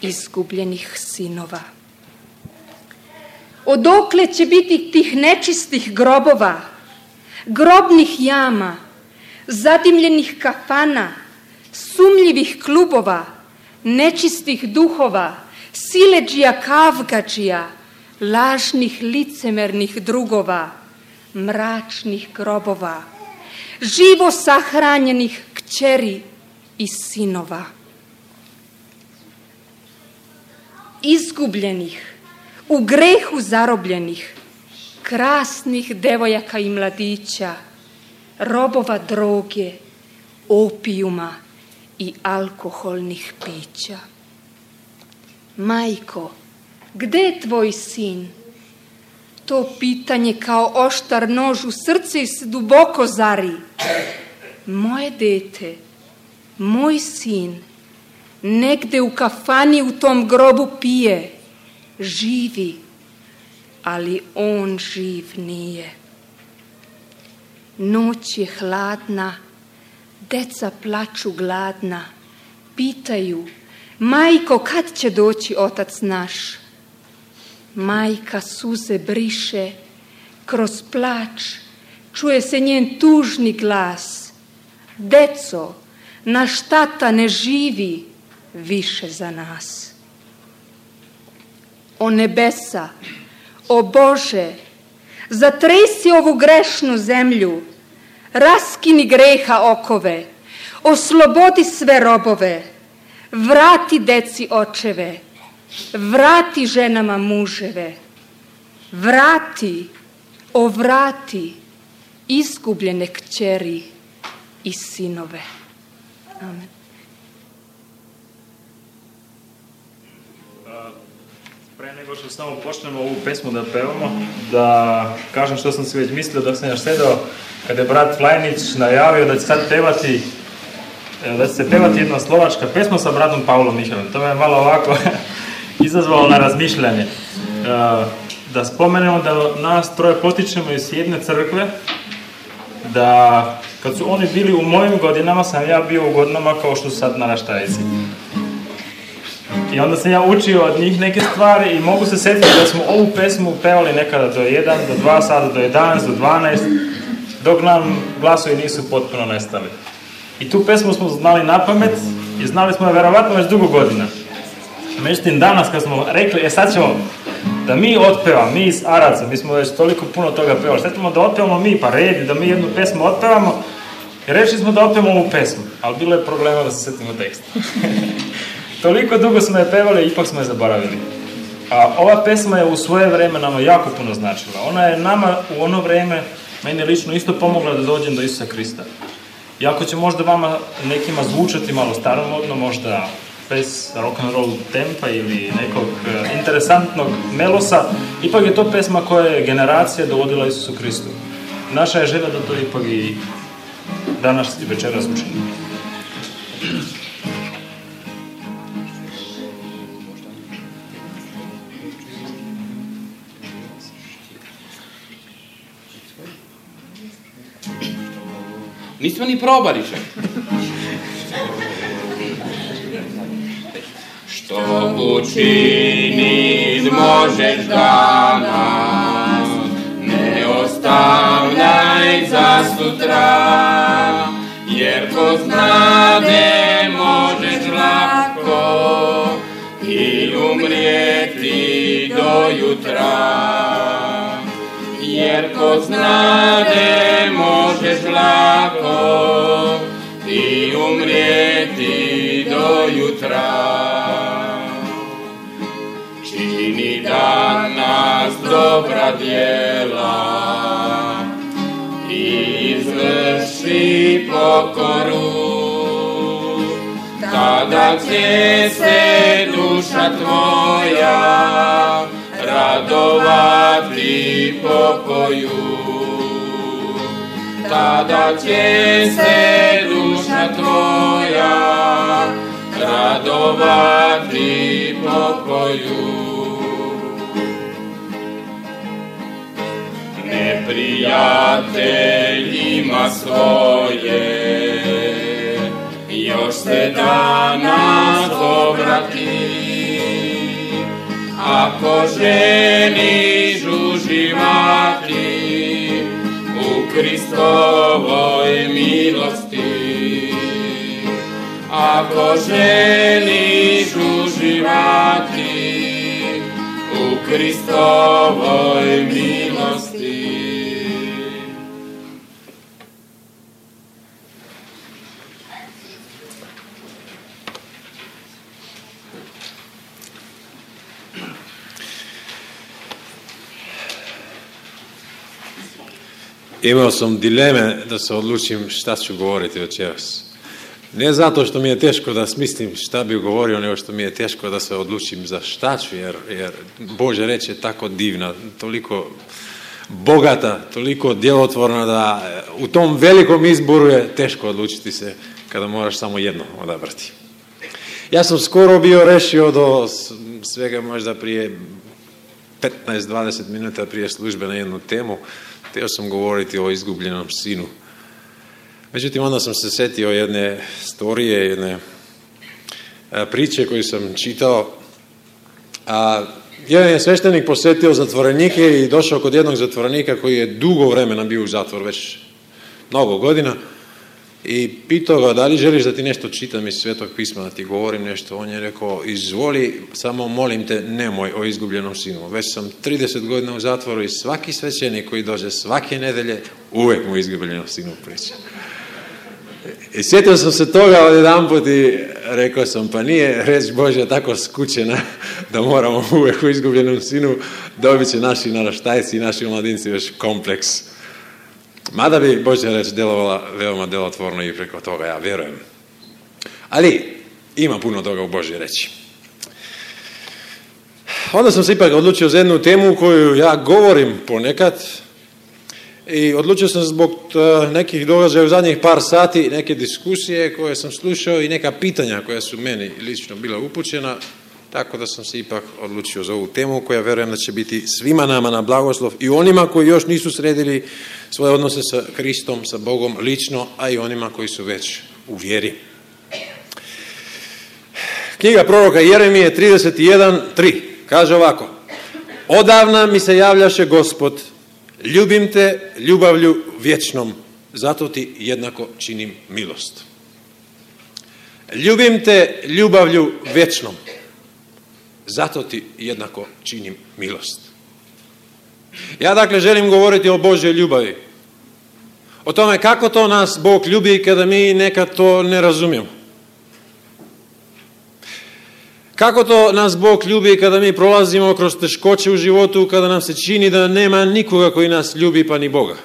izgubljenih sinova. Odokle će biti tih nečistih grobova, grobnih jama, zadimljenih kafana, sumnjivih klubova, nečistih duhova, siledžija kavgađija, lažnih licemernih drugova, mračnih grobova, živo sahranjenih kćeri i sinova, izgubljenih, u grehu zarobljenih, krasnih devojaka i mladića, robova droge, opijuma i alkoholnih pića. Majko, gde je tvoj sin? To pitanje kao oštar nož u srce se duboko zari. Moje dete, moj sin, negde u kafani u tom grobu pije, živi, ali on živ nije. Noć je hladna, deca plaču gladna, pitaju, majko, kad će doći otac naš? Majka suze briše, kroz plač čuje se njen tužni glas. Deco, naš tata ne živi više za nas. O nebesa, o Bože, zatresi ovu grešnu zemlju, raskini greha okove, oslobodi sve robove, vrati deci očeve, vrati ženama muževe, vrati, vrati izgubljene kćeri i sinove. Amen. Pre nego što samo počnemo ovu pesmu da pevamo, da kažem što sam si već mislio dok sam još sedao, kada je brat Flajnić najavio da će sad pevati, da će se pevati jedna slovačka pesma sa bratom Pavlom Mihalom. To me je malo ovako izazvalo na razmišljanje. Da spomenemo da nas troje potičemo iz jedne crkve, da kad su oni bili u mojim godinama, sam ja bio u godinama kao što su sad naraštajci. I onda sam ja učio od njih neke stvari i mogu se sjetiti da smo ovu pesmu pevali nekada do 1, do 2 sata, do 11, do 12, dok nam glasovi nisu potpuno nestali. I tu pesmu smo znali na pamet i znali smo je verovatno već dugo godina. Međutim, danas kad smo rekli, sad ćemo da mi otpevamo, mi iz Araca, mi smo već toliko puno toga pevali, sad ćemo da otpevamo mi, pa redi, da mi jednu pesmu otpevamo, i rešili smo da otpevamo ovu pesmu, ali bilo je problema da se setimo teksta. Toliko dugo smo je pevali i ipak smo je zaboravili. A ova pesma je u svoje vreme nama jako puno značila. Ona je nama u ono vreme, meni lično isto pomogla da dođem do Isusa Krista. Iako će možda vama nekima zvučati malo staromodno, možda bez rock'n'roll tempa ili nekog interesantnog melosa, ipak je to pesma koja je generacija dovodila Isusu Kristu. Naša je želja da to ipak i danas i večeras učinimo. Nismo ni probali še. Što učinit možeš danas, ne ostavljaj za sutra, jer ko znade možeš lako i umrijeti do jutra. Jer ko znade možeš lako i umrijeti do jutra. Čini danas dobra djela i izvrši pokoru, tada će se duša tvoja radovati pokoju. Tada će se duša tvoja radovati pokoju. Neprijateljima svoje još se danas obrati. Ako želiš uživati u Kristovoj milosti, ako želiš uživati u Kristovoj milosti. Imao sam dileme da se odlučim šta ću govoriti večeras. Ne zato što mi je teško da smislim šta bih govorio, nego što mi je teško da se odlučim za šta ću, jer Božja reč je tako divna, toliko bogata, toliko djelotvorna da u tom velikom izboru je teško odlučiti se kada moraš samo jedno odabrati. Ja sam skoro bio rešio do svega možda prije 15-20 minuta prije službe na jednu temu. Htio sam govoriti o izgubljenom sinu. Međutim, onda sam se setio jedne storije, jedne priče koju sam čitao. Jedan je sveštenik posjetio zatvorenike i došao kod jednog zatvorenika koji je dugo vremena bio u zatvor, već mnogo godina, i pitao ga da li želiš da ti nešto čitam iz Svetog pisma, da ti govorim nešto. On je rekao, izvoli, samo molim te, nemoj o izgubljenom sinu. Već sam 30 godina u zatvoru i svaki svećenik koji dođe svake nedelje, uvek mu o izgubljenom sinu priča. I sjetio sam se toga odjedanput i rekao sam, pa nije reč Božja tako skučena da moramo uvek o izgubljenom sinu, dobit će naši naraštajci i naši mladinci još kompleks. Mada bi Božja reč djelovala veoma djelotvorno i preko toga, ja vjerujem. Ali ima puno toga u Božjoj reči. Onda sam se ipak odlučio za jednu temu koju ja govorim ponekad i odlučio sam zbog nekih događaja u zadnjih par sati, neke diskusije koje sam slušao i neka pitanja koja su meni lično bila upućena, tako da sam se ipak odlučio za ovu temu koja vjerujem da će biti svima nama na blagoslov i onima koji još nisu sredili svoje odnose sa Kristom, sa Bogom lično, a i onima koji su već u vjeri. Knjiga proroka Jeremije 31:3 kaže ovako: odavna mi se javljaše Gospod, ljubim te ljubavlju vječnom, zato ti jednako činim milost. Ljubim te ljubavlju vječnom, zato ti jednako činim milost. Ja dakle želim govoriti o Božjoj ljubavi. O tome kako to nas Bog ljubi kada mi nekad to ne razumijemo. Kako to nas Bog ljubi kada mi prolazimo kroz teškoće u životu, kada nam se čini da nema nikoga koji nas ljubi pa ni Boga.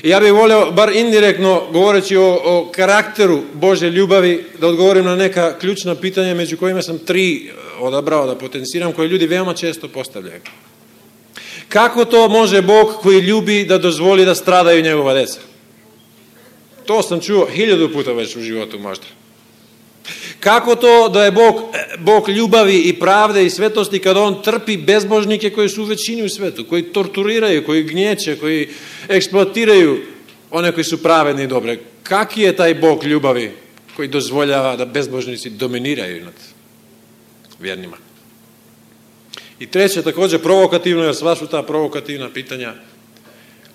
I ja bih volio, bar indirektno govoreći o karakteru Božje ljubavi, da odgovorim na neka ključna pitanja, među kojima sam 3 odabrao da potenciram, koje ljudi veoma često postavljaju. Kako to može Bog koji ljubi da dozvoli da stradaju njegova djeca? To sam čuo 1000 puta već u životu možda. Kako to da je Bog ljubavi i pravde i svetosti kada on trpi bezbožnike koji su u većini u svetu, koji torturiraju, koji gnječe, koji eksploatiraju one koji su pravedni i dobre? Kaki je taj Bog ljubavi koji dozvoljava da bezbožnici dominiraju nad vjernima? I treće, također provokativno, jer sva su ta provokativna pitanja: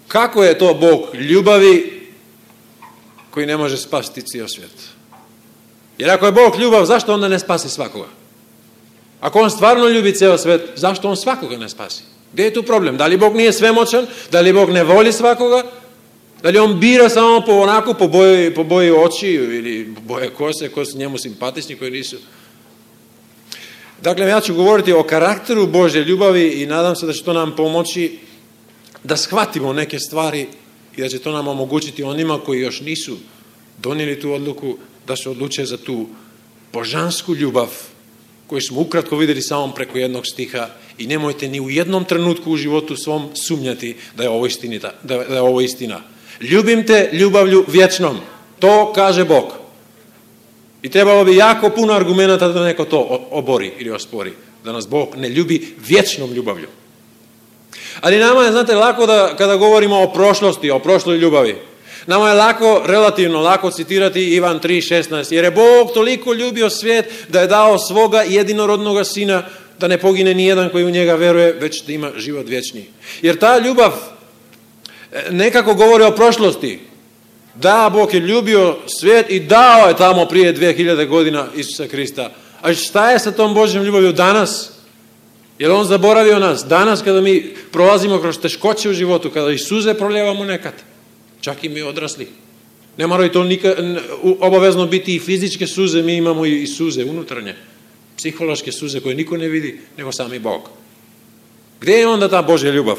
kako je to Bog ljubavi koji ne može spasiti cijel svijet? Jer ako je Bog ljubav, zašto onda ne spasi svakoga? Ako on stvarno ljubi cijel svijet, zašto on svakoga ne spasi? Gdje je tu problem? Da li Bog nije svemoćan? Da li Bog ne voli svakoga? Da li on bira samo po boji oči ili boje kose, koji su njemu simpatični, koji nisu? Dakle, ja ću govoriti o karakteru Božje ljubavi i nadam se da će to nam pomoći da shvatimo neke stvari i da će to nam omogućiti onima koji još nisu donijeli tu odluku da se odluče za tu božansku ljubav koju smo ukratko vidjeli samo preko jednog stiha, i nemojte ni u jednom trenutku u životu svom sumnjati da je ovo istina. Ljubim te ljubavlju vječnom. To kaže Bog. I trebalo bi jako puno argumenta da neko to obori ili ospori. Da nas Bog ne ljubi vječnom ljubavlju. Ali nama je, znate, lako da kada govorimo o prošlosti, o prošloj ljubavi, Nama je relativno lako citirati Ivan 3:16, jer je Bog toliko ljubio svijet da je dao svoga jedinorodnoga sina, da ne pogine nijedan koji u njega veruje, već da ima život vječni. Jer ta ljubav nekako govori o prošlosti. Da, Bog je ljubio svijet i dao je tamo prije 2000 godina Isusa Krista. A šta je sa tom Božjom ljubavlju danas? Je li on zaboravio nas? Danas kada mi prolazimo kroz teškoće u životu, kada i suze proljevamo nekad, čak i mi odrasli. Ne moraju to obavezno biti i fizičke suze, mi imamo i suze unutarnje, psihološke suze koje niko ne vidi, nego sami Bog. Gdje je onda ta Božja ljubav?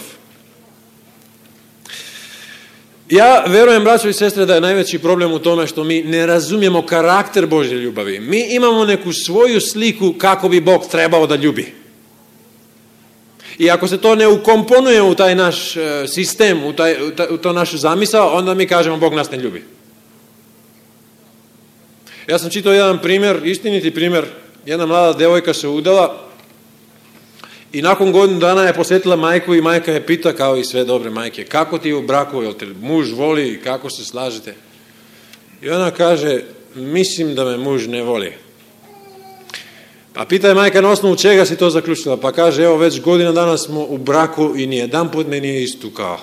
Ja verujem, braćo i sestre, da je najveći problem u tome što mi ne razumijemo karakter Božje ljubavi. Mi imamo neku svoju sliku kako bi Bog trebao da ljubi. I ako se to ne ukomponuje u taj naš sistem, u to našu zamisao, onda mi kažemo Bog nas ne ljubi. Ja sam čitao jedan primjer, istiniti primjer, jedna mlada devojka se udala i nakon godinu dana je posjetila majku i majka je pita, kao i sve dobre majke, kako ti je u braku, jel te muž voli, kako se slažete? I ona kaže, mislim da me muž ne voli. Pa pita je majka, na osnovu čega si to zaključila? Pa kaže, evo već godina dana smo u braku i nijedan put me nije istukao.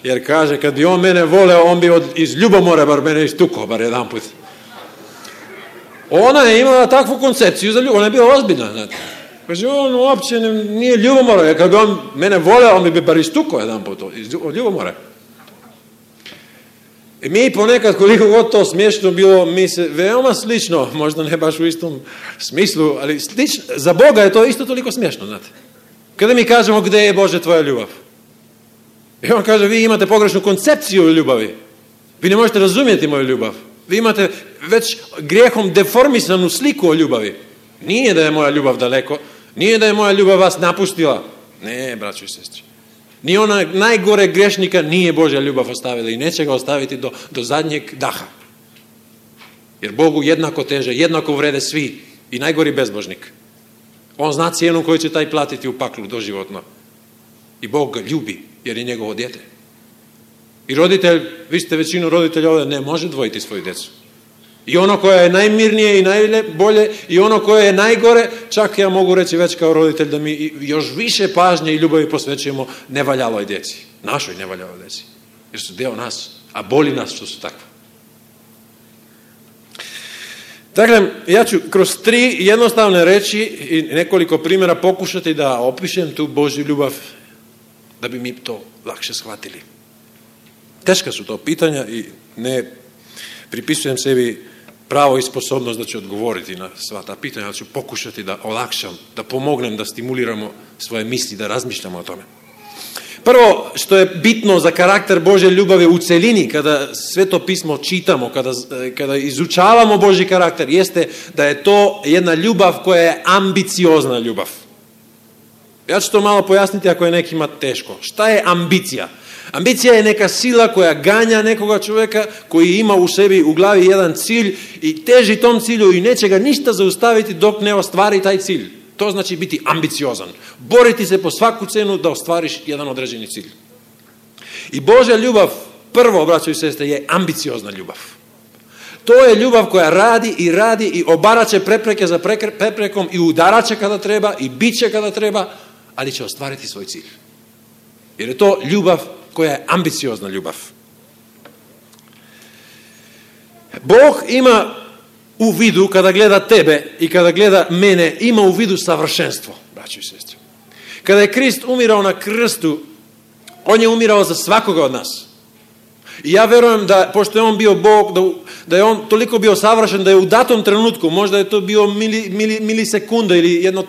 Jer kaže, kad bi on mene voleo, on bi iz ljubomore bar mene istukao, bar jedan put. Ona je imala takvu koncepciju za ljubav, ona je bila ozbiljna, znate. Kaže, on uopće nije ljubomora, jer kad bi on mene voleo, on bi bar istukao jedan put od ljubomore. I mi ponekad, koliko god to smiješno bilo, mi se veoma slično, možda ne baš u istom smislu, ali slično, za Boga je to isto toliko smiješno, znate. Kada mi kažemo, gdje je Bože tvoja ljubav? I on kaže, vi imate pogrešnu koncepciju o ljubavi. Vi ne možete razumjeti moju ljubav. Vi imate već grijehom deformisanu sliku o ljubavi. Nije da je moja ljubav daleko, nije da je moja ljubav vas napustila. Ne, braćo i sestri. Ni ona najgore grešnika nije Božja ljubav ostavila i neće ga ostaviti do zadnjeg daha. Jer Bogu jednako teže, jednako vrede svi i najgori bezbožnik. On zna cijenu koju će taj platiti u paklu doživotno. I Bog ga ljubi jer je njegovo dijete. I roditelj, vi ste većinu roditelja ovdje, ne može dvojiti svoju djecu. I ono koje je najmirnije i najbolje i ono koje je najgore, čak ja mogu reći već kao roditelj da mi još više pažnje i ljubavi posvećujemo nevaljaloj djeci, našoj nevaljaloj djeci, jer su dio nas, a boli nas što su takve. Dakle, ja ću kroz 3 jednostavne reči i nekoliko primjera pokušati da opišem tu Božju ljubav, da bi mi to lakše shvatili. Teška su to pitanja i ne pripisujem sebi pravo i sposobnost da ću odgovoriti na sva ta pitanja, ali ću pokušati da olakšam, da pomognem, da stimuliramo svoje misli, da razmišljamo o tome. Prvo što je bitno za karakter Božje ljubavi u celini, kada sve to pismo čitamo, kada izučavamo Božji karakter, jeste da je to jedna ljubav koja je ambiciozna ljubav. Ja ću to malo pojasniti ako je nekima teško. Šta je ambicija? Ambicija je neka sila koja ganja nekoga čovjeka koji ima u sebi, u glavi jedan cilj i teži tom cilju i neće ga ništa zaustaviti dok ne ostvari taj cilj. To znači biti ambiciozan. Boriti se po svaku cenu da ostvariš jedan određeni cilj. I Božja ljubav, prvo, braćo i sestre, je ambiciozna ljubav. To je ljubav koja radi i obaraće prepreke za preprekom i udaraće kada treba i biće kada treba, ali će ostvariti svoj cilj. Jer je to ljubav koja je ambiciozna ljubav. Bog ima u vidu, kada gleda tebe i kada gleda mene, ima u vidu savršenstvo, braćo i sestre. Kada je Krist umirao na krstu, on je umirao za svakoga od nas. I ja verujem da, pošto je on bio Bog, da je on toliko bio savršen, da je u datom trenutku, možda je to bio milisekunda ili jedno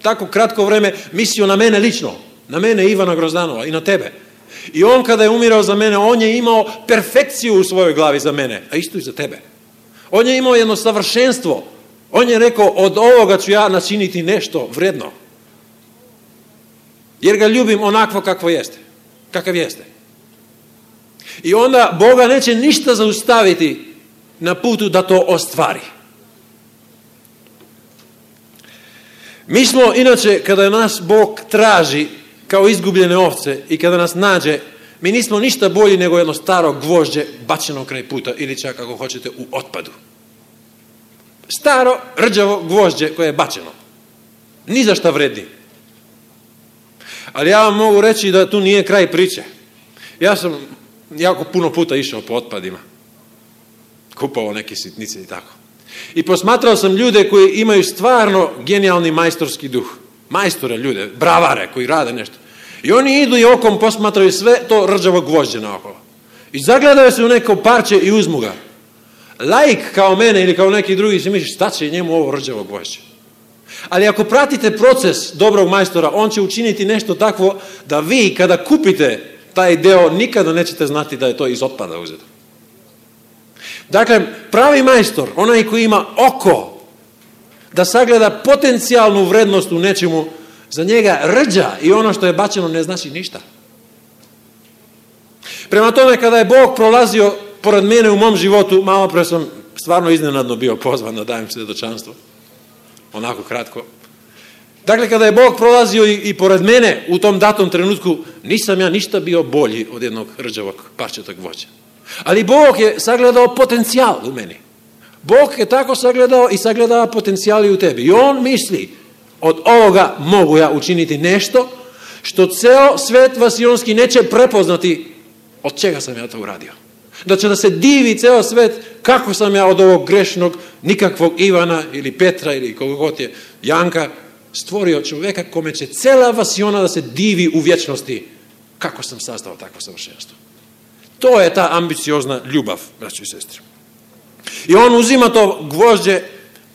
tako kratko vreme, mislio na mene lično, na mene Ivana Grozdanova i na tebe. I on kada je umirao za mene, on je imao perfekciju u svojoj glavi za mene, a isto i za tebe. On je imao jedno savršenstvo. On je rekao, od ovoga ću ja načiniti nešto vredno. Jer ga ljubim onakvo kakvo jeste. Kakav jeste. I onda Boga neće ništa zaustaviti na putu da to ostvari. Mi smo, inače, kada nas Bog traži kao izgubljene ovce i kada nas nađe, Mi nismo ništa bolji nego jedno staro gvožđe bačeno kraj puta ili čak ako hoćete u otpadu. Staro, rđavo gvožđe koje je bačeno. Ni za šta vredi. Ali ja vam mogu reći da tu nije kraj priče. Ja sam jako puno puta išao po otpadima. Kupovao neke sitnice i tako. I posmatrao sam ljude koji imaju stvarno genijalni majstorski duh. Majstore ljude, bravare koji rade nešto. I oni idu i okom posmatraju sve to rđavo gvožđe naokolo. I zagledaju se u neko parče i uzmu ga. Laik kao mene ili kao neki drugi se misli šta će njemu ovo rđavo gvožđe. Ali ako pratite proces dobrog majstora, on će učiniti nešto takvo da vi kada kupite taj deo nikada nećete znati da je to iz otpada uzeto. Dakle, pravi majstor, onaj koji ima oko da sagleda potencijalnu vrednost u nečemu, za njega rđa i ono što je bačeno ne znači ništa. Prema tome, kada je Bog prolazio pored mene u mom životu, malo pre sam stvarno iznenadno bio pozvan da dajem svjedočanstvo. Onako kratko. Dakle, kada je Bog prolazio i pored mene u tom datom trenutku, nisam ja ništa bio bolji od jednog rđavog parčetog gvožđa. Ali Bog je sagledao potencijal u meni. Bog je tako sagledao i sagledava potencijali u tebi. I on misli, od ovoga mogu ja učiniti nešto što ceo svet vasionski neće prepoznati od čega sam ja to uradio. Da će da se divi ceo svet kako sam ja od ovog grešnog, nikakvog Ivana ili Petra ili koga god je Janka stvorio čovjeka kome će cela vasiona da se divi u vječnosti kako sam sastao takvo savršenstvo. To je ta ambiciozna ljubav, braćo i sestre. I on uzima to gvožđe,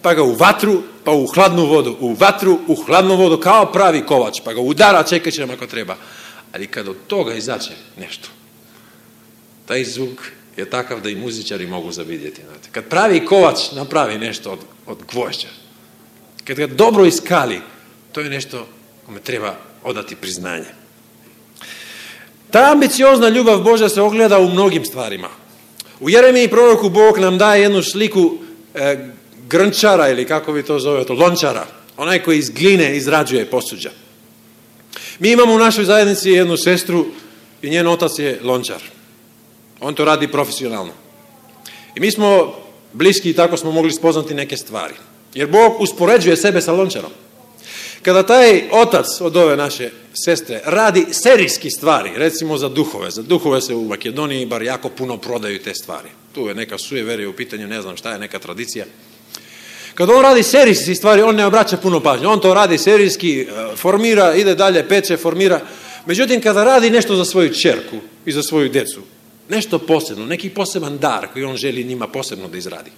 pa ga u vatru, pa u hladnu vodu, u vatru, u hladnu vodu, kao pravi kovač, pa ga udara čekaćem ako treba. Ali kad od toga izađe nešto, taj zvuk je takav da i muzičari mogu zavidjeti. Kad pravi kovač napravi nešto od gvožđa, kad ga dobro iskali, to je nešto kome treba odati priznanje. Ta ambiciozna ljubav Božja se ogleda u mnogim stvarima. U Jeremiji proroku Bog nam daje jednu sliku grnčara ili kako vi to zovete, lončara. Onaj koji iz gline izrađuje posuđa. Mi imamo u našoj zajednici jednu sestru i njen otac je lončar. On to radi profesionalno. I mi smo bliski i tako smo mogli spoznati neke stvari. Jer Bog uspoređuje sebe sa lončarom. Kada taj otac od ove naše sestre radi serijski stvari, recimo za duhove se u Makedoniji bar jako puno prodaju te stvari. Tu je neka sujeverija u pitanju, ne znam šta je, neka tradicija. Kada on radi serijski stvari, on ne obraća puno pažnje. On to radi serijski, formira, ide dalje, peče, formira. Međutim, kada radi nešto za svoju ćerku i za svoju djecu, nešto posebno, neki poseban dar koji on želi njima posebno da izradi.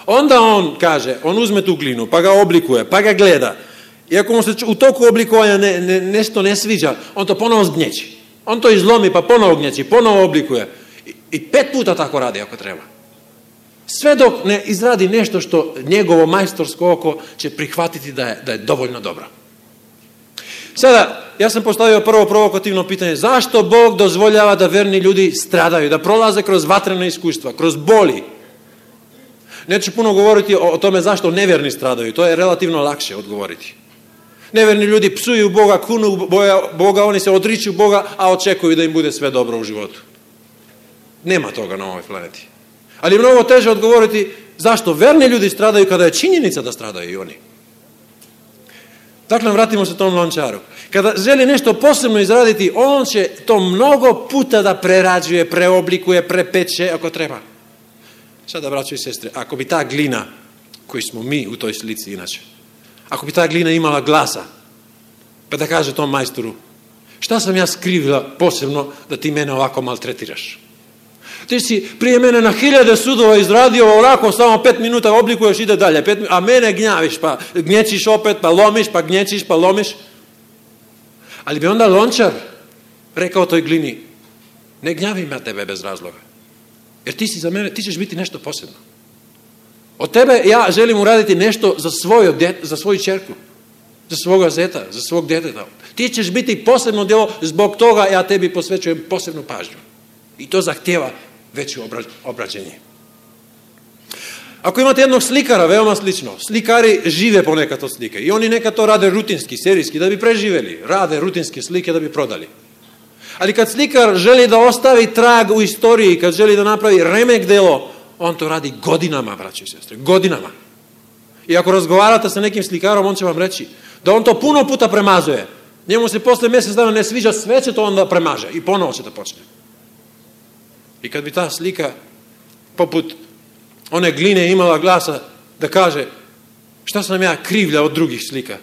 Onda on kaže, on uzme tu glinu, pa ga oblikuje, pa ga gleda. I ako mu se u toku oblikovanja nešto ne sviđa, on to ponovo zgnječi. On to izlomi, pa ponovo gnječi, ponovo oblikuje. I 5 puta tako radi ako treba. Sve dok ne izradi nešto što njegovo majstorsko oko će prihvatiti da je dovoljno dobro. Sada, ja sam postavio prvo provokativno pitanje. Zašto Bog dozvoljava da verni ljudi stradaju, da prolaze kroz vatrena iskustva, kroz boli? Neću puno govoriti o tome zašto nevjerni stradaju. To je relativno lakše odgovoriti. Neverni ljudi psuju Boga, kunu Boga, oni se odriču Boga, a očekuju da im bude sve dobro u životu. Nema toga na ovoj planeti. Ali je mnogo teže odgovoriti zašto verni ljudi stradaju kada je činjenica da stradaju i oni. Dakle, vratimo se tom lončaru. Kada želi nešto posebno izraditi, on će to mnogo puta da prerađuje, preoblikuje, prepeče ako treba. Sada, braćo i sestre, ako bi ta glina, koji smo mi u toj slici inače, ako bi ta glina imala glasa, pa da kaže tom majstoru, šta sam ja skrivila posebno da ti mene ovako maltretiraš? Ti si prije mene na 1000 sudova izradio ovako, samo 5 minuta oblikuješ, ide dalje, a mene gnjaviš, pa gnječiš opet, pa lomiš, pa gnječiš, pa lomiš. Ali bi onda lončar rekao toj glini, ne gnjavim ja tebe bez razloga, jer ti si za mene, ti ćeš biti nešto posebno. Od tebe ja želim uraditi nešto za svoju ćerku, za svoga zeta, za svog djeteta. Ti ćeš biti posebno djelo, zbog toga ja tebi posvećujem posebnu pažnju. I to zahtjeva veće obrađenje. Ako imate jednog slikara, veoma slično, slikari žive ponekad od slike i oni nekad to rade rutinski, serijski, da bi preživjeli. Rade rutinske slike da bi prodali. Ali kad slikar želi da ostavi trag u istoriji, kad želi da napravi remek delo, on to radi godinama, braći i sestre, godinama. I ako razgovarate sa nekim slikarom, on će vam reći da on to puno puta premazuje. Njemu se posle mjesec dana ne sviđa, sve će to onda premaže i ponovo će da počne. I kad bi ta slika poput one gline imala glasa da kaže šta sam ja krivlja od drugih slika?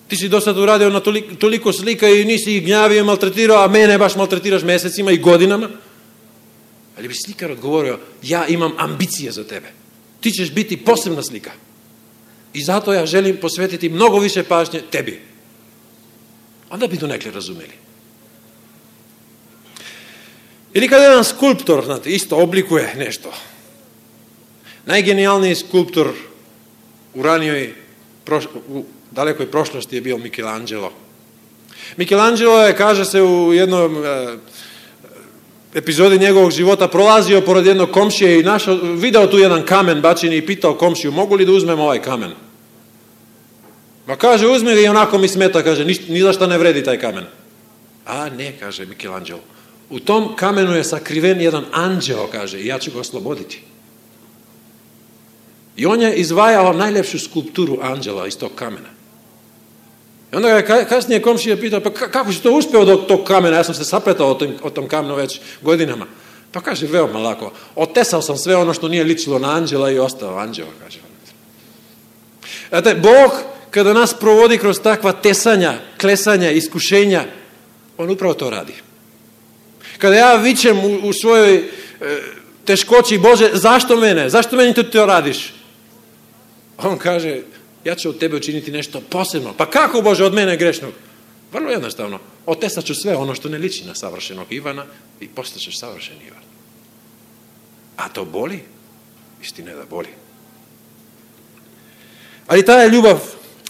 Ti si do sad uradio na toliko slika i nisi ih gnjavio i maltretirao, a mene baš maltretiraš mesecima i godinama. Ali bi slikar odgovorio, ja imam ambicije za tebe. Ti ćeš biti posebna slika. I zato ja želim posvetiti mnogo više pažnje tebi. Onda bi donekle razumeli. Ili kada jedan skulptor, znate, isto oblikuje nešto. Najgenijalniji skulptor u ranijoj, u dalekoj prošlosti je bio Michelangelo. Michelangelo je, kaže se u jednom epizodi njegovog života, prolazio pored jednog komšije i video tu jedan kamen bačen i pitao komšiju, mogu li da uzmem ovaj kamen? Ma kaže, uzmi ga i onako mi smeta, kaže, ni za šta ne vredi taj kamen. A ne, kaže Michelangelo, u tom kamenu je sakriven jedan anđeo, kaže, i ja ću ga osloboditi. I on je izvajao najlepšu skulpturu anđela iz tog kamena. I onda ga je kasnije komšija pitao, pa kako si to uspeo do tog kamena? Ja sam se sapletao o tom kamenu već godinama. Pa kaže, veoma lako. Otesao sam sve ono što nije ličilo na anđela i ostao anđeo, kaže. Znate, Bog, kada nas provodi kroz takva tesanja, klesanja, iskušenja, on upravo to radi. Kada ja vičem u svojoj teškoći, Bože, zašto mene? Zašto meni to radiš? On kaže, ja ću od tebe učiniti nešto posebno. Pa kako, Bože, od mene grešnog? Vrlo jednostavno. Otesat ću sve ono što ne liči na savršenog Ivana i postaćeš savršen Ivan. A to boli? Istina je da boli. Ali ta je ljubav,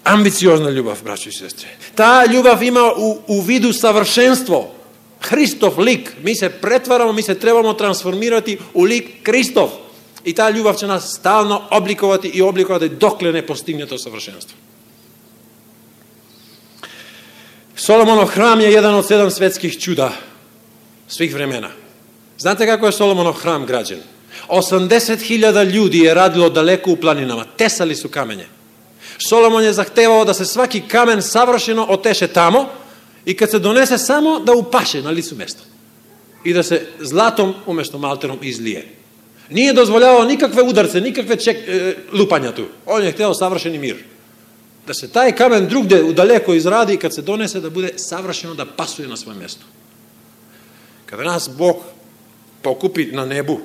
ambiciozna ljubav, braćo i sestre. Ta ljubav ima u vidu savršenstvo. Hristov lik. Mi se pretvaramo, mi se trebamo transformirati u lik Kristov. I ta ljubav će nas stalno oblikovati dokle ne postigne to savršenstvo. Solomonov hram je jedan od 7 svetskih čuda svih vremena. Znate kako je Solomonov hram građen? 80.000 ljudi je radilo daleko u planinama. Tesali su kamenje. Solomon je zahtevao da se svaki kamen savršeno oteše tamo i kad se donese samo da upaše na licu mesta. I da se zlatom umjesto malterom izlije. Nije dozvoljavao nikakve udarce, nikakve lupanja tu. On je hteo savršeni mir. Da se taj kamen drugdje udaleko izradi i kad se donese da bude savršeno, da pasuje na svoje mjesto. Kada nas Bog pokupi na nebu,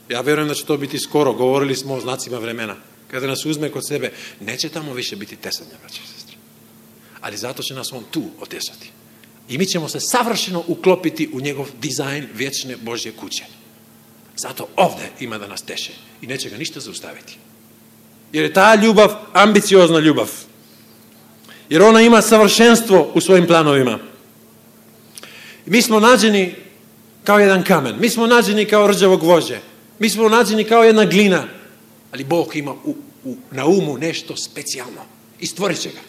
ja vjerujem da će to biti skoro, govorili smo o znacima vremena. Kada nas uzme kod sebe, neće tamo više biti tesanja, braće i sestre. Ali zato će nas on tu otesati. I mi ćemo se savršeno uklopiti u njegov dizajn vječne Božje kuće. Zato ovdje ima da nas teše i neće ga ništa zaustaviti. Jer je ta ljubav ambiciozna ljubav. Jer ona ima savršenstvo u svojim planovima. I mi smo nađeni kao jedan kamen. Mi smo nađeni kao rđavo gvožđe. Mi smo nađeni kao jedna glina. Ali Bog ima na umu nešto specijalno. I stvorit će ga.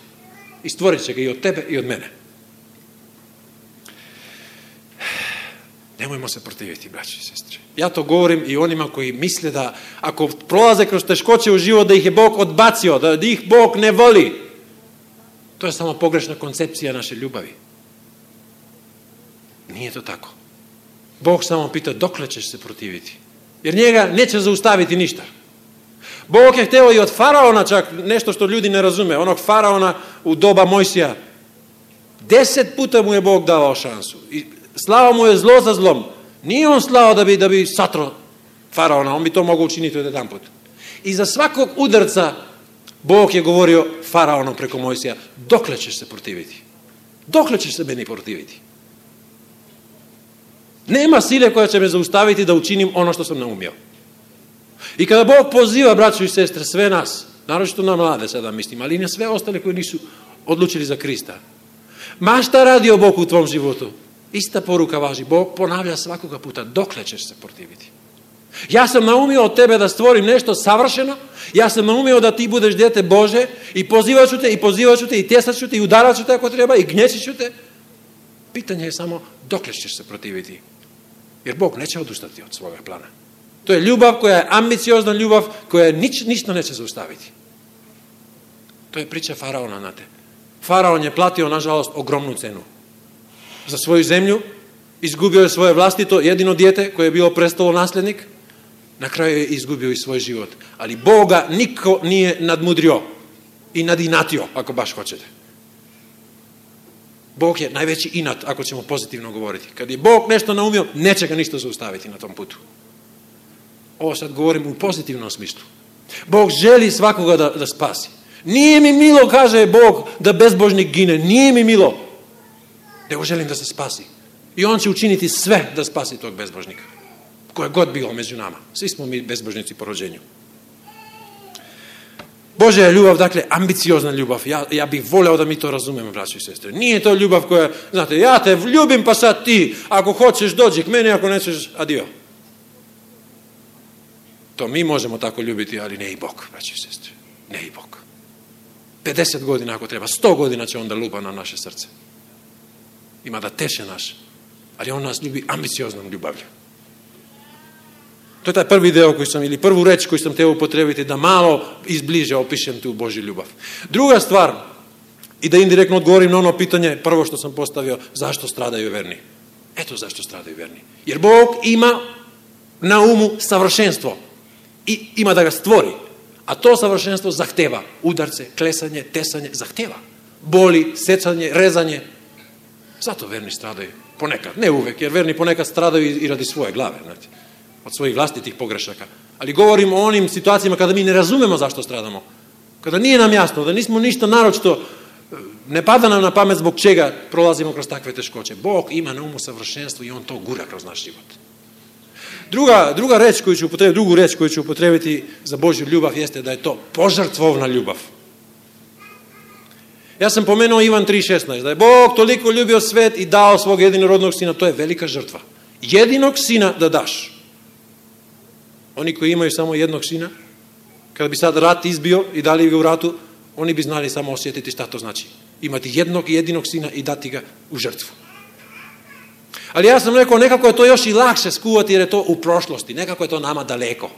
I stvorit će ga i od tebe i od mene. Nemojmo se protiviti, braći i sestre. Ja to govorim i onima koji misle da ako prolaze kroz teškoće u život, da ih je Bog odbacio, da ih Bog ne voli. To je samo pogrešna koncepcija naše ljubavi. Nije to tako. Bog samo pita dokle ćeš se protiviti. Jer njega neće zaustaviti ništa. Bog je hteo i od faraona čak nešto što ljudi ne razume. Onog faraona u doba Mojsija. 10 puta mu je Bog davao šansu. I slao mu je zlo za zlom. Nije on slao da bi satro faraona. On bi to mogao učiniti od jedan put. I za svakog udarca Bog je govorio faraonom preko Mojsija. Dokle ćeš se protiviti? Dokle ćeš se meni protiviti? Nema sile koja će me zaustaviti da učinim ono što sam naumio. I kada Bog poziva, braćo i sestre, sve nas, naročito na mlade sada mislim, ali i na sve ostale koji nisu odlučili za Krista. Ma šta radio Bog u tvom životu? Ista poruka važi. Bog ponavlja svakoga puta. Dokle ćeš se protiviti? Ja sam naumio od tebe da stvorim nešto savršeno. Ja sam naumio da ti budeš dijete Bože i pozivat ću te i tesat ću te i udarat ću te ako treba i gnječit ću te. Pitanje je samo dokle ćeš se protiviti. Jer Bog neće odustati od svoga plana. To je ljubav koja je ambiciozna ljubav, koja ništa neće zaustaviti. To je priča faraona, znate. Faraon je platio, nažalost, ogromnu cenu. Za svoju zemlju, izgubio je svoje vlastito jedino dijete koje je bilo prestalo nasljednik, na kraju je izgubio i svoj život. Ali Boga niko nije nadmudrio i nadinatio, ako baš hoćete. Bog je najveći inat, ako ćemo pozitivno govoriti. Kad je Bog nešto naumio, neće ga ništa zaustaviti na tom putu. Ovo sad govorim u pozitivnom smislu. Bog želi svakoga da spasi. Nije mi milo, kaže Bog, da bezbožnik gine. Nije mi milo. Nego želim da se spasi. I on će učiniti sve da spasi tog bezbožnika. Koje god bilo među nama. Svi smo mi bezbožnici po rođenju. Božja je ljubav, dakle, ambiciozna ljubav. Ja bih voleo da mi to razumemo, braći i sestre. Nije to ljubav koja, znate, ja te ljubim pa sad ti, ako hoćeš dođi k meni, ako nećeš, adio. To mi možemo tako ljubiti, ali ne i Bog, braći i sestre. Ne i Bog. 50 godina ako treba, 100 godina će onda lupa na naše srce. Ima da teše naš, ali on nas ljubi ambicioznom ljubavlju. To je taj prvi deo koji sam, ili prvu reč koju sam htio upotrebiti, da malo izbliže opišem tu Božju ljubav. Druga stvar, i da indirektno odgovorim na ono pitanje, prvo što sam postavio, zašto stradaju verni? Eto zašto stradaju verni. Jer Bog ima na umu savršenstvo i ima da ga stvori. A to savršenstvo zahteva udarce, klesanje, tesanje, zahteva. Boli, secanje, rezanje. Zato verni stradaju. Ponekad, ne uvek, jer verni ponekad stradaju i radi svoje glave, znate, od svojih vlastitih pogrešaka. Ali govorim o onim situacijama kada mi ne razumemo zašto stradamo. Kada nije nam jasno, da nismo ništa naročito, ne pada nam na pamet zbog čega prolazimo kroz takve teškoće. Bog ima na umu savršenstvo i on to gura kroz naš život. Druga reč koju ću upotrebiti, drugu reč koju ću upotrebiti za Božju ljubav jeste da je to požrtvovna ljubav. Ja sam pomenuo Ivan 3.16, da je Bog toliko ljubio svet i dao svog jedinorodnog sina, to je velika žrtva. Jedinog sina da daš. Oni koji imaju samo jednog sina, kada bi sad rat izbio i dali ga u ratu, oni bi znali samo osjetiti šta to znači. Imati jednog jedinog sina i dati ga u žrtvu. Ali ja sam rekao, nekako je to još i lakše skuvati jer je to u prošlosti. Nekako je to nama daleko.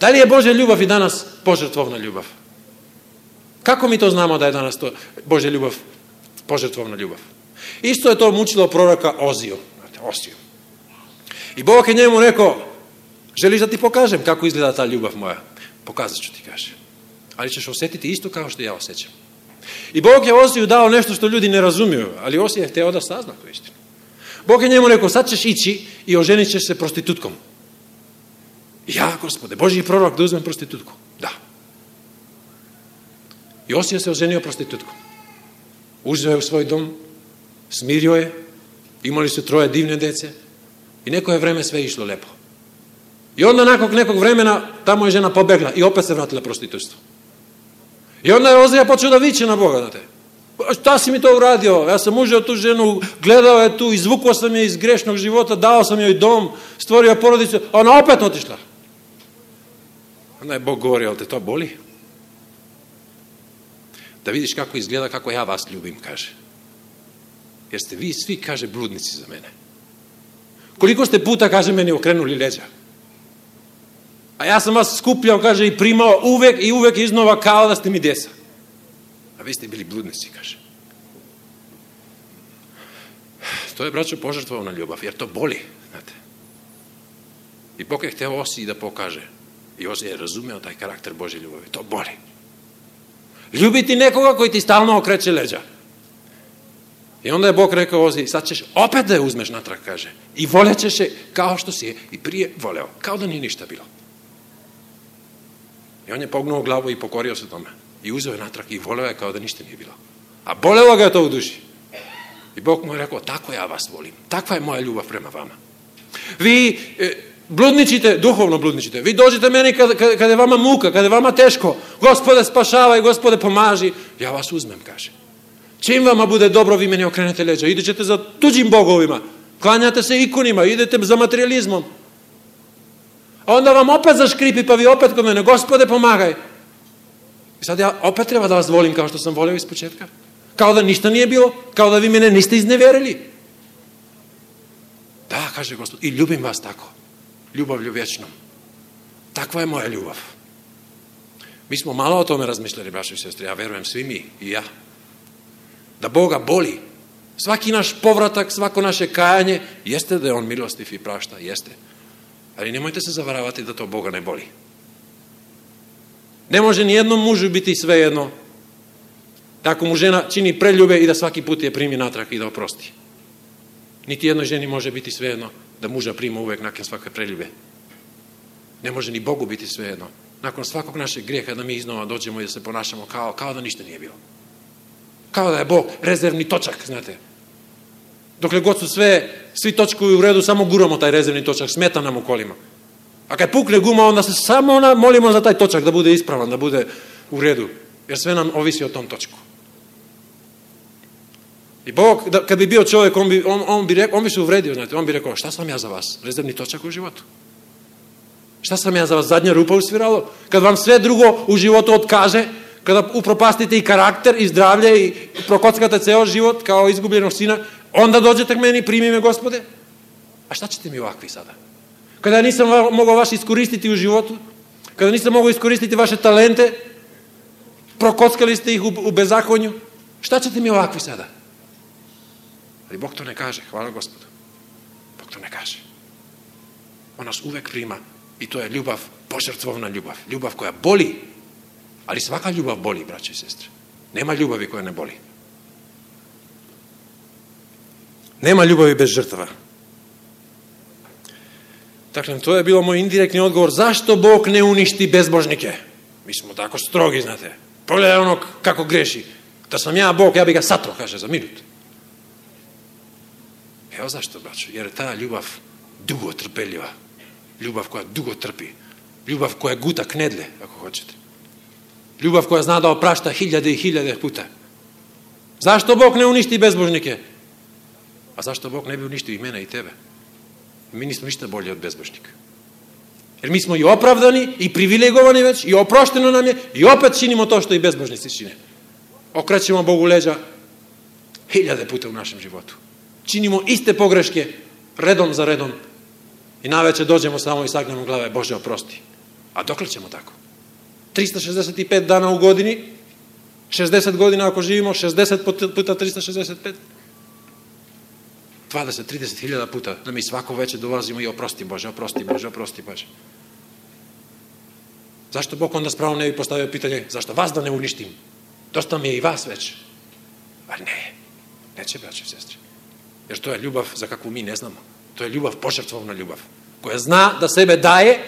Da li je Božja ljubav i danas požrtvovna ljubav? Kako mi to znamo da je danas to Božja ljubav, požrtvovna ljubav? Isto je to mučilo proroka Oziju. I Bog je njemu rekao, želiš da ti pokažem kako izgleda ta ljubav moja? Pokazat ću ti, kaže. Ali ćeš osjetiti isto kao što ja osjećam. I Bog je Oziju dao nešto što ljudi ne razumiju, ali Ozija je hteo da sazna tu istinu. Bog je njemu rekao, sad ćeš ići i oženit ćeš se prostitutkom. Ja, Gospode, Božji prorok da uzmem prostitutku. Da. I Ozija se oženio prostitutkom. Uzeo je u svoj dom, smirio je, imali su 3 divne dece i neko je vreme sve išlo lepo. I onda nakon nekog vremena tamo je žena pobegla i opet se vratila prostitutstvu. I onda je Ozija počeo da viče na Boga, znate. Šta si mi to uradio? Ja sam uzeo tu ženu, gledao je tu, izvukao sam je iz grešnog života, dao sam joj dom, stvorio porodicu, a ona opet otišla. Onda je Bog govorio, ali te to boli? Da vidiš kako izgleda, kako ja vas ljubim, kaže. Jer ste vi svi, kaže, bludnici za mene. Koliko ste puta, kaže, meni okrenuli leđa? A ja sam vas skupljao, kaže, i primao uvek iznova kao da ste mi djeca. A vi ste bili bludnici, kaže. To je, braćo, požrtvovna ljubav, jer to boli, znate. I Bog je hteo Osiji da pokaže. I Osija je razumeo taj karakter Božje ljubavi. To boli. Ljubiti nekoga koji ti stalno okreće leđa. I onda je Bog rekao Oziji, sad ćeš opet da je uzmeš natrag, kaže. I voljećeš je kao što si je i prije voleo. Kao da nije ništa bilo. I on je pognuo glavu i pokorio se tome. I uzeo je natrag i voleo je kao da ništa nije bilo. A bolelo ga je to u duši. I Bog mu je rekao, tako ja vas volim. Takva je moja ljubav prema vama. Vi bludničite, duhovno bludničite. Vi dođete meni kada je vama muka, kada je vama teško. Gospode spašavaj, Gospode pomaži. Ja vas uzmem, kaže. Čim vama bude dobro, vi meni okrenete leđa. Idete za tuđim bogovima. Klanjate se ikonima, idete za materializmom. A onda vam opet zaškripi, pa vi opet kod mene, Gospode pomagaj. I sad ja opet treba da vas volim kao što sam volio iz početka. Kao da ništa nije bilo, kao da vi mene niste izneverili. Kaže Gospod, i ljubim vas tako. Ljubavlju vječnom. Takva je moja ljubav. Mi smo malo o tome razmišljali, braćo i sestre, ja verujem svi mi i ja. Da Boga boli. Svaki naš povratak, svako naše kajanje, jeste da je on milostiv i prašta, jeste. Ali nemojte se zavaravati da to Boga ne boli. Ne može ni jednom mužu biti svejedno ako mu žena čini preljube i da svaki put je primi natrag i da oprosti. Niti jednoj ženi može biti svejedno da muža prima uvek nakon svake preljube. Ne može ni Bogu biti svejedno. Nakon svakog našeg grijeha da mi iznova dođemo i da se ponašamo kao da ništa nije bilo. Kao da je Bog rezervni točak, znate. Dokle god su svi točkovi u redu, samo guramo taj rezervni točak, smeta nam u kolima. A kad pukne guma, onda se samo molimo za taj točak da bude ispravan, da bude u redu. Jer sve nam ovisi o tom točku. I Bog, kad bi bio čovjek, on bi se uvredio, znate. On bi rekao, šta sam ja za vas? Rezervni točak u životu. Šta sam ja za vas? Zadnja rupa u sviralo? Kad vam sve drugo u životu otkaže, kada upropastite i karakter i zdravlje i prokockate ceo život kao izgubljenog sina, onda dođete k meni, primi me, Gospode. A šta ćete mi ovakvi sada? Kada ja nisam mogao vas iskoristiti u životu, kada nisam mogao iskoristiti vaše talente, prokockali ste ih u bezakonju, šta ćete mi ovakvi sada? Ali Bog to ne kaže, hvala Gospodu. Bog to ne kaže. On nas uvek prima i to je ljubav, požrtvovna ljubav. Ljubav koja boli, ali svaka ljubav boli, braće i sestre. Nema ljubavi koja ne boli. Nema ljubavi bez žrtava. Dakle, to je bilo moj indirektni odgovor. Zašto Bog ne uništi bezbožnike? Mi smo tako strogi, znate. Pogledaj onog kako greši. Da sam ja Bog, ja bi ga satro, kaže, za minut. Evo zašto, braćo? Jer je ta ljubav dugo trpeljiva. Ljubav koja dugo trpi. Ljubav koja guta knedle, ako hoćete. Ljubav koja zna da oprašta hiljade i hiljade puta. Zašto Bog ne uništi bezbožnike? A zašto Bog ne bi uništio i mene i tebe? Mi nismo ništa bolji od bezbožnika. Jer mi smo i opravdani, i privilegovani već, i oprošteno nam je, i opet činimo to što i bezbožnici čine. Okrećemo Bogu leđa hiljade puta u našem životu. Činimo iste pogreške, redom za redom, i naveče dođemo samo i sagnemo glave, Bože oprosti. A dokle ćemo tako? 365 dana u godini, 60 godina ako živimo, 60 puta 365, 20-30 hiljada puta da mi svako veče dolazimo i oprosti Bože, oprosti Bože, oprosti Bože. Zašto Bog onda s pravom ne bi postavio pitanje, zašto vas da ne uništim? Dosta mi je i vas već. A ne, neće, braće i sestre. Jer to je ljubav za kakvu mi ne znamo. To je ljubav, požrtvovna ljubav, koja zna da sebe daje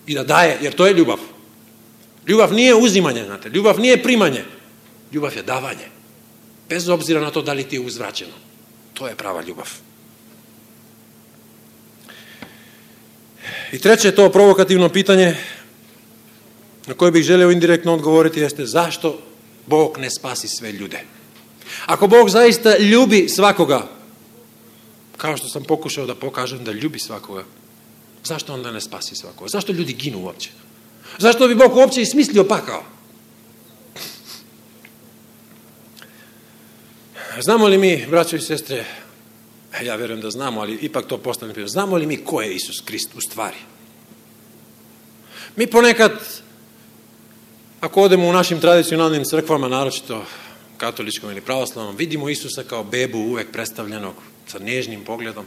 i da daje, jer to je ljubav. Ljubav nije uzimanje, znate, ljubav nije primanje. Ljubav je davanje. Bez obzira na to da li ti je uzvraćeno. To je prava ljubav. I treće, to provokativno pitanje na koje bih želeo indirektno odgovoriti jeste zašto Bog ne spasi sve ljude? Ako Bog zaista ljubi svakoga, kao što sam pokušao da pokažem da ljubi svakoga, zašto onda ne spasi svakoga? Zašto ljudi ginu uopće? Zašto bi Bog uopće ismislio pakao? Znamo li mi, braćo i sestre, ja verujem da znamo, ali ipak to postavljam pitanje, znamo li mi ko je Isus Krist u stvari? Mi ponekad, ako odemo u našim tradicionalnim crkvama, naročito katoličkom ili pravoslavnom, vidimo Isusa kao bebu uvek predstavljenog sa nježnim pogledom.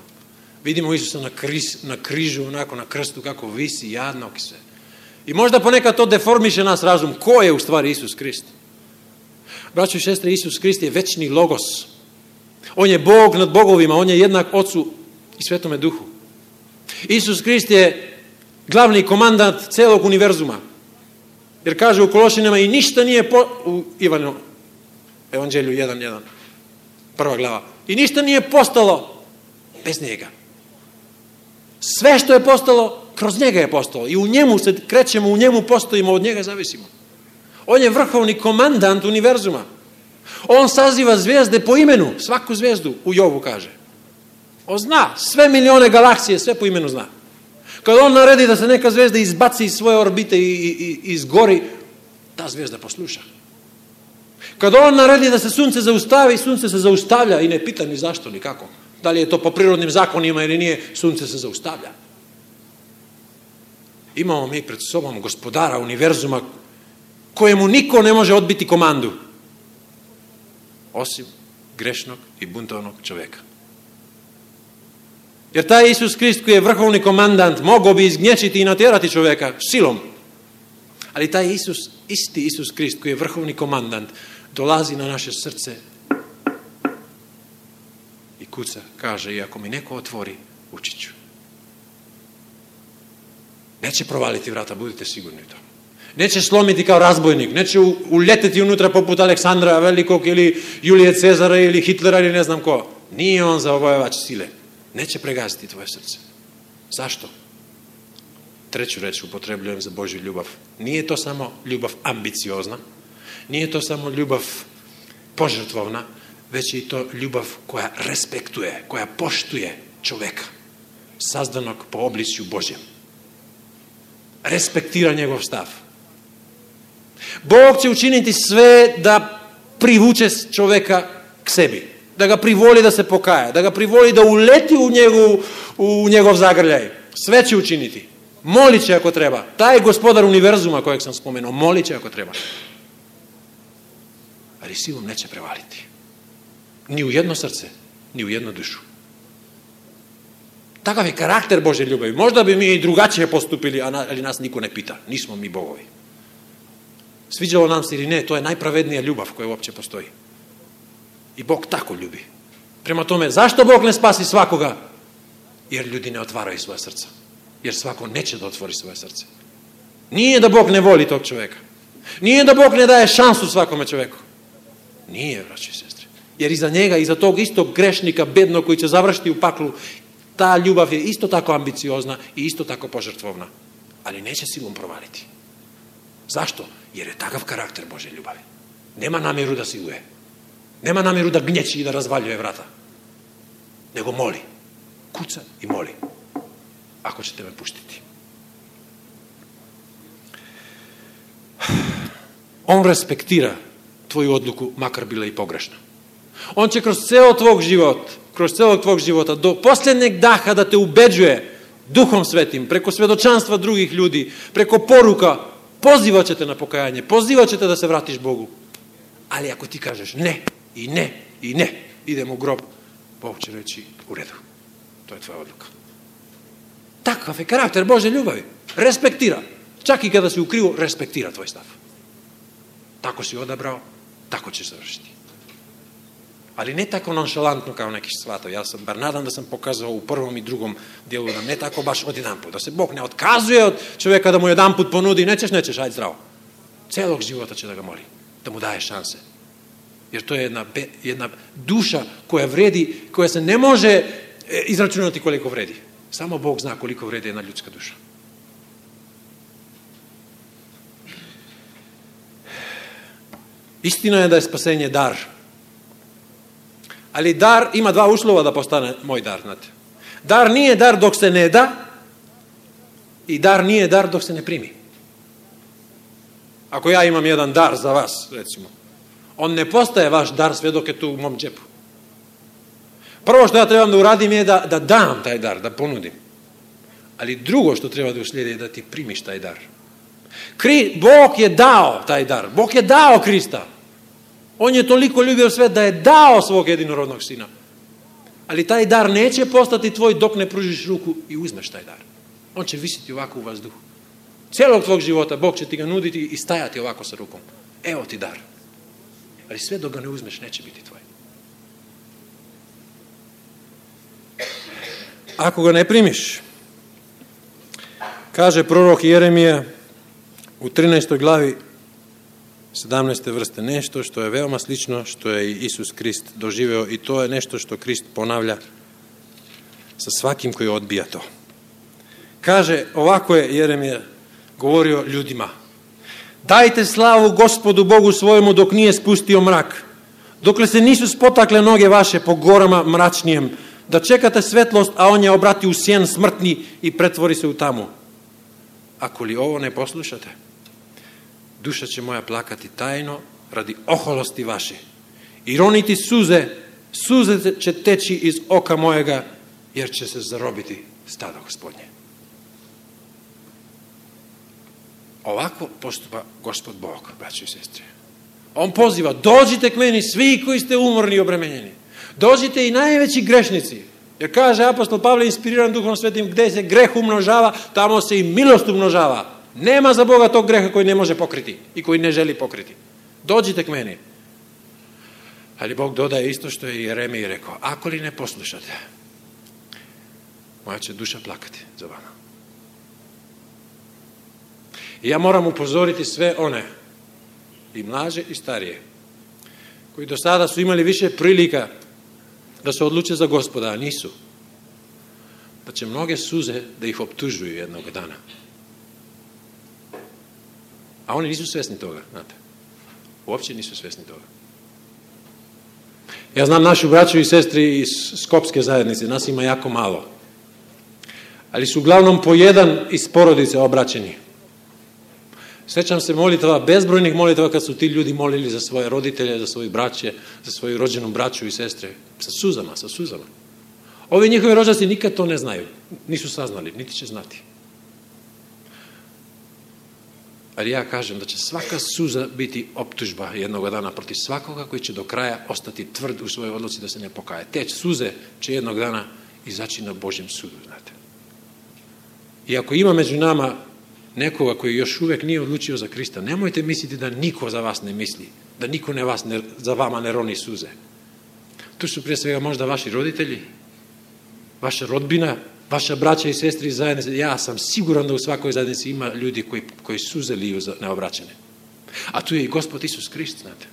Vidimo Isusa na križu, onako na krstu, kako visi, jadnog se. I možda ponekad to deformiše nas razum. Ko je u stvari Isus Krist? Braćo i sestre, Isus Krist je večni logos. On je Bog nad bogovima, on je jednak Ocu i Svetome Duhu. Isus Krist je glavni komandant celog univerzuma. Jer kaže u Kološinama i ništa nije u Ivanu Evanđelju 1.1, prva glava. I ništa nije postalo bez njega. Sve što je postalo, kroz njega je postalo. I u njemu se krećemo, u njemu postojimo, od njega zavisimo. On je vrhovni komandant univerzuma. On saziva zvijezde po imenu, svaku zvijezdu u Jovu kaže. On zna, sve milione galaksije, sve po imenu zna. Kada on naredi da se neka zvijezda izbaci iz svoje orbite i izgori, ta zvijezda posluša. Kada on naredi da se sunce zaustavi, sunce se zaustavlja i ne pita ni zašto, ni kako. Da li je to po prirodnim zakonima ili nije, sunce se zaustavlja. Imamo mi pred sobom gospodara univerzuma kojemu niko ne može odbiti komandu, osim grešnog i buntovnog čoveka. Jer taj Isus Krist koji je vrhovni komandant mogao bi izgnječiti i natjerati čoveka silom. Ali taj Isus, isti Isus Krist koji je vrhovni komandant, dolazi na naše srce i kuca, kaže, i ako mi neko otvori, ući ću. Neće provaliti vrata, budite sigurni u to. Neće slomiti kao razbojnik, neće uljeteti unutra poput Aleksandra Velikog ili Julije Cezara ili Hitlera ili ne znam ko. Nije on zavojevač sile. Neće pregaziti tvoje srce. Zašto? Treću reč upotrebljujem za Božju ljubav. Nije to samo ljubav ambiciozna, nije to samo ljubav požrtvovna, već je i to ljubav koja respektuje, koja poštuje čoveka, sazdanog po obličju Božjem. Respektira njegov stav. Bog će učiniti sve da privuče čoveka k sebi, da ga privoli da se pokaja, da ga privoli da uleti u njegov zagrljaj. Sve će učiniti. Molit će ako treba. Taj gospodar univerzuma kojeg sam spomenuo, molit će ako treba. Ali silom neće prevaliti. Ni u jedno srce, ni u jednu dušu. Takav je karakter Božje ljubavi. Možda bi mi i drugačije postupili, ali nas niko ne pita. Nismo mi bogovi. Sviđalo nam se ili ne, to je najpravednija ljubav koja uopće postoji. I Bog tako ljubi. Prema tome, zašto Bog ne spasi svakoga? Jer ljudi ne otvaraju svoje srca. Jer svako neće da otvori svoje srce. Nije da Bog ne voli tog čoveka. Nije da Bog ne daje šansu svakome čoveku. Nije, braći i sestre. Jer iza njega, iza tog istog grešnika, bednog koji će završiti u paklu, ta ljubav je isto tako ambiciozna i isto tako požrtvovna. Ali neće silom provaliti. Zašto? Jer je takav karakter Božje ljubavi. Nema namjeru da siluje. Nema namjeru da gnječi i da razvaljuje vrata. Nego moli. Kuca i moli. Ako ćete me puštiti. On respektira tvoju odluku, makar bila i pogrešna. On će kroz celog tvog života, do posljednjeg daha da te ubeđuje Duhom Svetim, preko svedočanstva drugih ljudi, preko poruka, pozivat će te na pokajanje, pozivat će te da se vratiš Bogu. Ali ako ti kažeš ne, i ne, i ne, idem u grob, Bog će reći u redu. To je tvoja odluka. Takav je karakter Božje ljubavi. Respektira. Čak i kada si u krivu, respektira tvoj stav. Tako si odabrao, tako ćeš završiti. Ali ne tako nonšalantno kao neki shvatao. Ja sam bar nadam da sam pokazao u prvom i drugom dijelu da ne tako baš odjedanput. Da se Bog ne otkazuje od čovjeka da mu jedanput ponudi, nećeš, ajde zdravo. Celog života će da ga moli, da mu daje šanse. Jer to je jedna duša koja vredi, koja se ne može izračunati koliko vredi. Samo Bog zna koliko vredi jedna ljudska duša. Istina je da je spasenje dar. Ali dar ima dva uslova da postane moj dar, znate. Dar nije dar dok se ne da i dar nije dar dok se ne primi. Ako ja imam jedan dar za vas, recimo, on ne postaje vaš dar sve dok je tu u mom džepu. Prvo što ja trebam da uradim je da dam taj dar, da ponudim. Ali drugo što treba da uslijedi je da ti primiš taj dar. Bog je dao taj dar. Bog je dao Krista. On je toliko ljubio svet da je dao svog jedinorodnog sina. Ali taj dar neće postati tvoj dok ne pružiš ruku i uzmeš taj dar. On će visiti ovako u vazduhu. Cijelog tvog života Bog će ti ga nuditi i stajati ovako sa rukom. Evo ti dar. Ali sve dok ga ne uzmeš neće biti tvoj. Ako ga ne primiš, kaže prorok Jeremija u 13. glavi 17. vrste, nešto što je veoma slično što je Isus Krist doživeo i to je nešto što Krist ponavlja sa svakim koji odbija to. Kaže, ovako je Jeremija govorio ljudima: dajte slavu Gospodu Bogu svojemu dok nije spustio mrak, dokle se nisu spotakle noge vaše po gorama mračnijem, da čekate svetlost, a on je obrati u sjen smrtni i pretvori se u tamu. Ako li ovo ne poslušate, duša će moja plakati tajno radi oholosti vaše i roniti suze Suze će teći iz oka mojega, jer će se zarobiti stado Gospodnje. Ovako postupa Gospod Bog, braći i sestre. On poziva, dođite k meni svi koji ste umorni i obremenjeni. Dođite i najveći grešnici. Jer kaže apostol Pavle, inspiriran Duhom Svetim, gdje se greh umnožava, tamo se i milost umnožava. Nema za Boga tog greha koji ne može pokriti i koji ne želi pokriti. Dođite k meni. Ali Bog dodaje isto što je Jeremiji rekao, ako li ne poslušate, moja će duša plakati za vama. I ja moram upozoriti sve one, i mlađe i starije, koji do sada su imali više prilika da se odluče za Gospoda, a nisu, da će mnoge suze da ih optužuju jednog dana. A oni nisu svjesni toga, znate. Uopće nisu svjesni toga. Ja znam našu braću i sestri iz Skopske zajednice, nas ima jako malo. Ali su uglavnom po jedan iz porodice obraćeni. Sjećam se molitava, bezbrojnih molitava kad su ti ljudi molili za svoje roditelje, za svoje braće, za svoju rođenu braću i sestre. Sa suzama. Ovi njihovi rođaci nikad to ne znaju. Nisu saznali, niti će znati. Ali ja kažem da će svaka suza biti optužba jednog dana protiv svakoga koji će do kraja ostati tvrd u svojoj odluci da se ne pokaje. Teć suze će jednog dana izaći na Božjem sudu, znate. I ako ima među nama nekoga koji još uvijek nije odlučio za Krista, nemojte misliti da niko za vas ne misli, da niko za vama ne roni suze. Tu su prije svega možda vaši roditelji, vaša rodbina, vaša braća i sestri iz zajednice. Ja sam siguran da u svakoj zajednici ima ljudi koji suze liju za neobraćene. A tu je i Gospod Isus Krist, znate.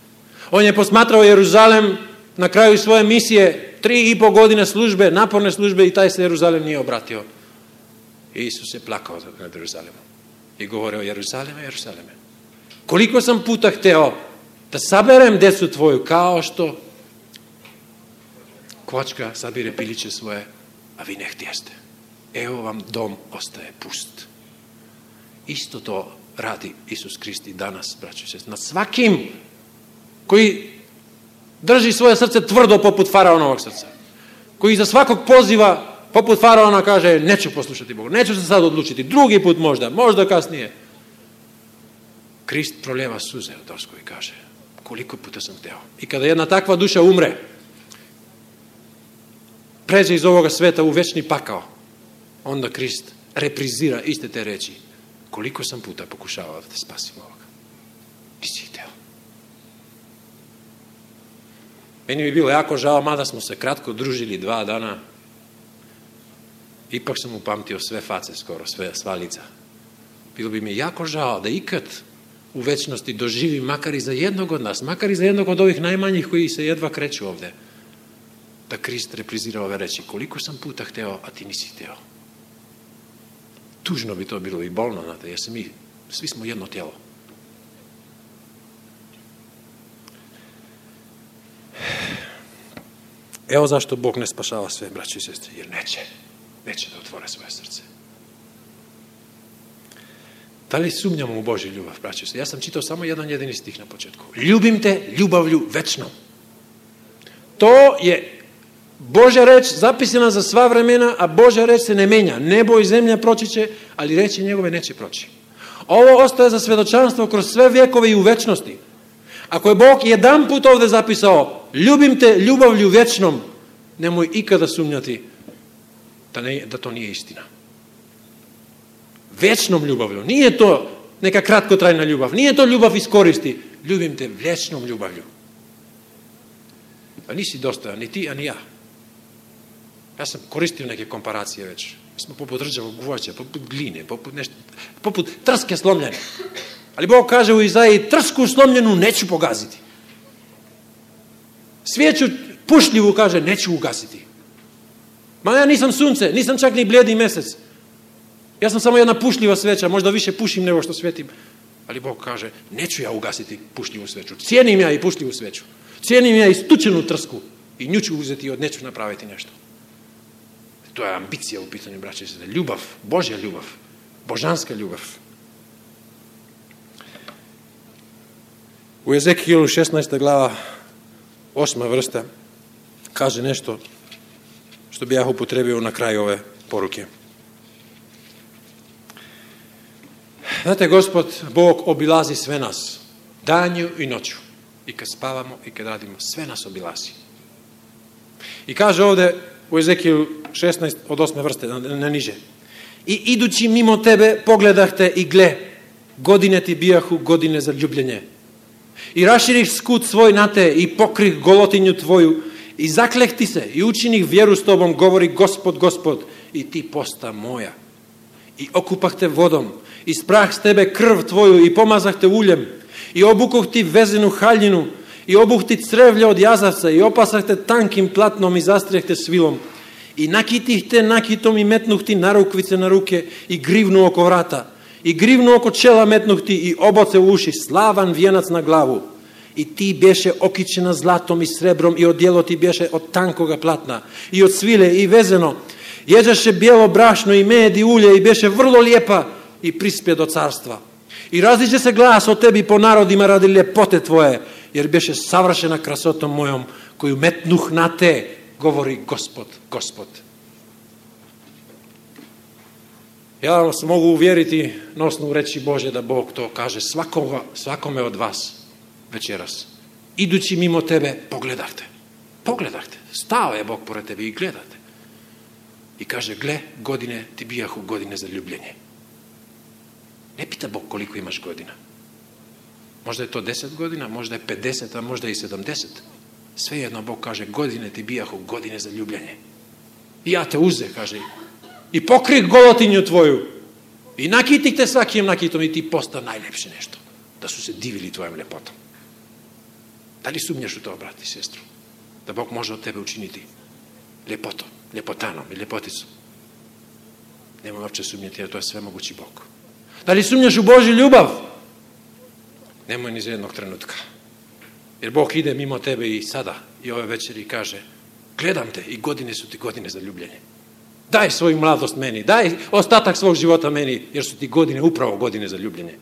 On je posmatrao Jeruzalem na kraju svoje misije, 3,5 godine službe, naporne službe, i taj se Jeruzalem nije obratio. I Isus je plakao nad Jeruzalemom i govorio, Jeruzaleme, Jeruzaleme, koliko sam puta hteo da saberem decu tvoju, kao što kvočka sabire piliće svoje, a vi ne htjeste. Evo vam dom ostaje pust. Isto to radi Isus Krist i danas, braćo i sestre. Na svakim koji drži svoje srce tvrdo poput faraonovog srca, koji za svakog poziva poput faraona kaže, neću poslušati Boga, neću se sad odlučiti, drugi put možda kasnije. Krist proljeva suze u dosku i kaže, koliko puta sam hteo. I kada jedna takva duša umre, pređe iz ovoga sveta u večni pakao, onda Krist reprizira iste te reči. Koliko sam puta pokušavao da te spasim ovoga. Nisi hteo. Meni bi bilo jako žao, mada smo se kratko družili 2 dana, ipak sam upamtio sve face skoro, sva lica. Bilo bi mi jako žao da ikad u večnosti doživim makar i za jednog od nas, makar i za jednog od ovih najmanjih koji se jedva kreću ovde, da Krist reprizira ove reči. Koliko sam puta hteo, a ti nisi hteo. Tužno bi to bilo i bolno, znate, jer svi smo jedno tijelo. Evo zašto Bog ne spašava sve, braći i sestre, jer neće da otvore svoje srce. Da li sumnjamo u Božju ljubav, braći i sestre? Ja sam čitao samo jedan jedini stih na početku. Ljubim te ljubavlju večnom. To je Božja reč zapisana za sva vremena, a Božja reč se ne menja. Nebo i zemlja proći će, ali reči njegove neće proći. Ovo ostaje za svedočanstvo kroz sve vjekove i u večnosti. Ako je Bog jedan put ovdje zapisao, ljubim te ljubavlju večnom, nemoj ikada sumnjati da to nije istina. Večnom ljubavlju. Nije to neka kratkotrajna ljubav. Nije to ljubav iz koristi. Ljubim te večnom ljubavlju. A nisi dostojan, ni ti, a ni ja. Ja sam koristio neke komparacije već. Mi smo poput rđavog gvožđa, poput gline, poput trske slomljene. Ali Bog kaže u Izaiji, trsku slomljenu neću pogaziti. Svijeću pušljivu, kaže, neću ugasiti. Ma ja nisam sunce, nisam čak ni blijedi mjesec. Ja sam samo jedna pušljiva sveća, možda više pušim nego što svetim. Ali Bog kaže, neću ja ugasiti pušljivu sveću. Cijenim ja i pušljivu sveću. Cijenim ja i stučenu trsku. I nju ću uzeti i od neću napraviti nešto. To je ambicija u pitanju, braće i sestre. Ljubav, Božja ljubav, božanska ljubav. U Ezekielu 16. glava, 8. vrsta, kaže nešto što bi ja upotrebio na kraju ove poruke. Znate, Gospod, Bog obilazi sve nas, danju i noću. I kad spavamo i kad radimo, sve nas obilazi. I kaže ovdje u Ezekiju 16 od 8. vrste, na niže. I idući mimo tebe pogledah te i gle, godine ti bijahu godine za ljubljenje. I raširih skut svoj na te i pokrih golotinju tvoju i zakleh ti se i učinih vjeru s tobom, govori Gospod, Gospod, i ti posta moja. I okupah te vodom i sprah s tebe krv tvoju i pomazah te uljem i obukoh ti vezenu haljinu i obuh ti crevlje od jazavca i opasah te tankim platnom i zastrijeh te svilom i nakitih te nakitom i metnuh ti narukvice na ruke i grivnu oko vrata i grivnu oko čela metnuh ti i oboce u uši, slavan vijenac na glavu i ti bješe okićena zlatom i srebrom i odjelo ti bješe od tankoga platna i od svile i vezeno, jeđaše bijelo brašno i med i ulje i bješe vrlo lijepa i prispje do carstva. I različe se glas o tebi po narodima radi ljepote tvoje, jer bješe savršena krasotom mojom koju metnuh na te, govori Gospod, Gospod. Ja vas mogu uvjeriti na osnovu reći Bože da Bog to kaže svakome od vas večeras. Idući mimo tebe, pogledajte. Stao je Bog pored tebi i gledate. I kaže, gle, godine ti bijahu godine za ljubljenje. Ne pita Bog koliko imaš godina. Možda je to 10 godina, možda je 50, a možda i 70. Svejedno Bog kaže, godine ti bijahu godine za ljubljenje. I ja te uze, kaže, i pokrih golotinju tvoju i nakitih te svakim nakitom i ti posta najljepše nešto. Da su se divili tvojom ljepotom. Da li sumnjaš u to, brati i sestru? Da Bog može od tebe učiniti ljepotom, ljepotanom i ljepoticom? Nemoj uopće sumnjati, jer to je sve mogući Bog. Da li sumnjaš u Božju ljubav? Nemoj ni za jednog trenutka. Jer Bog ide mimo tebe i sada i ove večeri i kaže, gledam te i godine su ti godine za ljubljenje. Daj svoju mladost meni, daj ostatak svog života meni, jer su ti godine upravo godine za ljubljenje.